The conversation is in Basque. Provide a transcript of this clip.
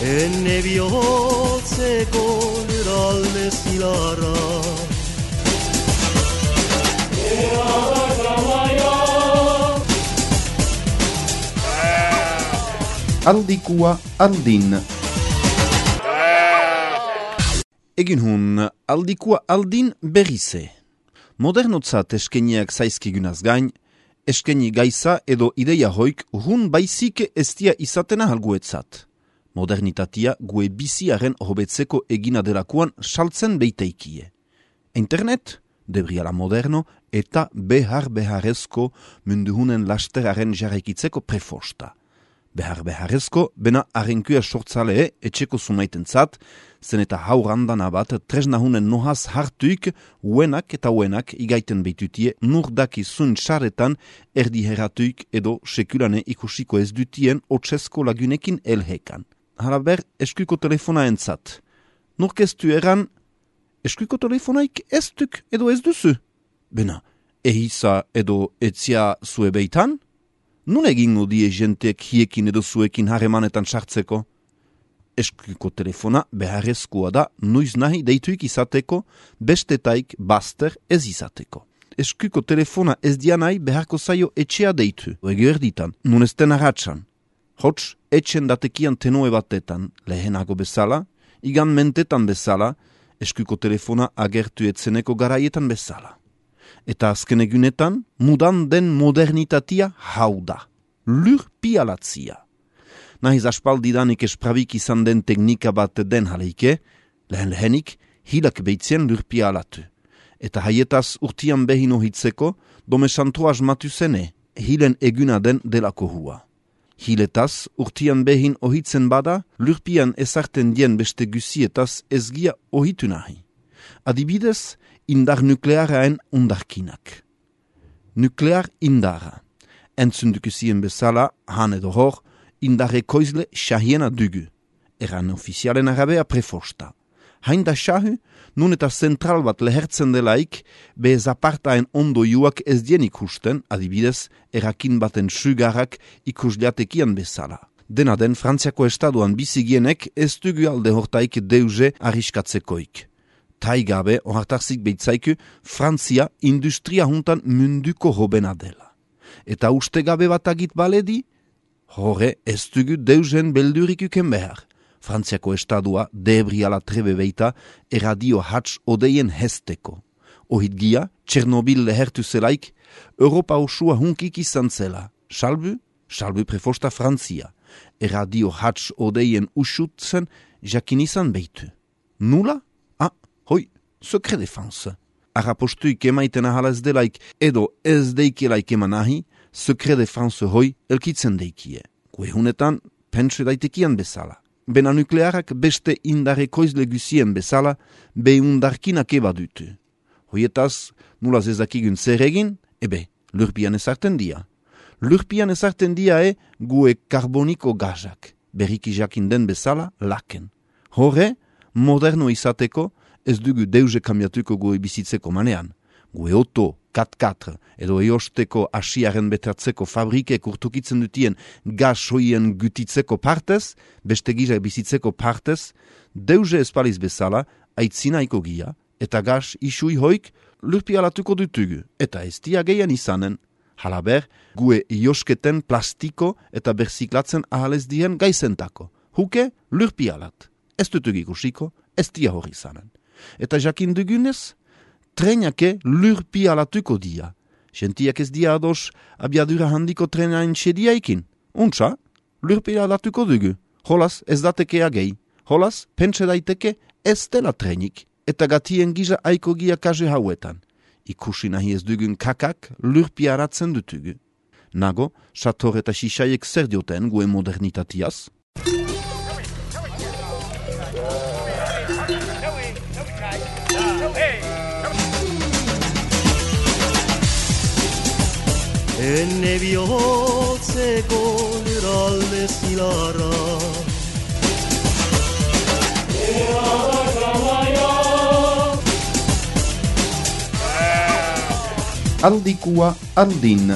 Enne bihotzeko lurralde zilarra Aldikua aldin. Egin hun, aldikua aldin berrize. Modernotzat eskeniak zaizkigunaz gain, eskeni gaiza edo ideia hoik hun baizik estia izatena halguetzat. Modernitatea gue biziaren hobetzeko egina delakuan saltzen beiteikie. Internet, debriala moderno, eta beharrezko munduhunen lasteraren jarraikitzeko prefosta. Beharrezko, bena arrenkua sortzalee etxeko zumaitentzat, zen eta haurandana bat tresnahunen nohaz hartuik uenak eta uenak igaiten beitutie nurdaki zun xaretan erdiheratuik edo sekulane ikusiko ez dutien otsesko lagunekin elhekan. Halaber, eskuiko telefona entzat. Nurkeztu eran, eskuiko telefonaik ez duk edo ez duzu? Bena, ehiza edo etzia zue beitan? Nun egingo die jenteek hiekin edo zuekin harremanetan sartzeko? Eskuiko telefona beharrezkoa da nuiz nahi deituik izateko, bestetaik baster ez izateko. Eskuiko telefona ez dianai beharko zaio etxea deitu. Ege erditan, nun ez den arratsan. Hots, etxen datekian tenoe batetan, lehenago bezala, igan mentetan bezala, eskuiko telefona agertu etzeneko garaietan bezala. Eta azken egunetan, mudan den modernitatea hau da. Lurpialatzia. Nahiz aspaldidanik esprabik izan den teknika bat den haleike, lehenik hilak beitzien lurpialatu. Eta haietaz urtian behin ohitzeko, domesanto asmatu zene, hilen eguna den delako hua. Hiletaz urtian behin ohitzen bada, lurpian ezarten dien beste guzietaz ezgia ohitu nahi. Adibidez, indar nuklearaen undarkinak. Nuklear indara. Entzundukuzien bezala, han edo hor, indarre koizle xahiena dugu. Eran ofizialen arabea prefosta. Hain da xahu, nun eta zentral bat lehertzen delaik, bez apartaen ondo juak ez dien ikusten, adibidez, erakin baten sugarrak ikusliatekian bezala. Dena den, Frantziako estaduan bizigienek ez dugu alde hortaik deuze arriskatzekoik. Taigabe, ohartarzik beitzaiku, Frantzia industria juntan munduko hobena dela. Eta ustegabe bat agit baledi, horre ez dugu deuzen beldurikuken behar. Frantziako estadua debriala trebe beita eradio hats odeien hesteko. Ohitgia, Txernobil lehertu zelaik, Europa osua hunkik izan zela. Salbu prefosta Frantzia. Eradio hats odeien usutzen jakin izan beitu. Nula? Hoi, secret défense. Arrapostuik emaiten ahala ez delaik edo ez deikelaik eman ahi, secret défense hoi elkitzen deikie. Kuehunetan, pentsu daitekian bezala. Bena nuklearak beste indare koizle guzien bezala, behundarkinak eba dutu. Hoietaz, nulaz ezakigun zer egin, lurpian ezarten dia. Lurpian ezarten dia gue karboniko gazak, berriki jakin den bezala laken. Horre, moderno izateko, ez dugu deuze kambiatuko gue bizitzeko manean. Gue oto, 4x4, edo eosteko asiaren betratzeko fabrikek urtukitzen dutien gaz hoien gutitzeko partez, beste gizak bizitzeko partez, deuze espaliz bezala, aitzinaiko gia, eta gaz isui hoik lurpialatuko dutugu, eta ez dia geian izanen. Halaber, gue iosketen plastiko eta berziklatzen ahalez dien gaizentako. Huke, lurpialat. Ez dutugu ikusiko, ez dia hori izanen. Eta jakin dugunez, trenake lurpialatuko dia. Gentiak ez dia ados abiadura handiko trenain sediaikin. Untsa, lurpialatuko dugu. Holaz ez datekea gehi. Holaz, pentsa daiteke ez dela trenik. Eta gatien giza aiko gia kaze hauetan. Ikusi nahi ez dugun kakak lurpiaratzen dutugu. Nago, sator eta xixaiek zer dioten gue modernitatiaz? Enne bihotzeko lurralde zilarra aldikua aldin.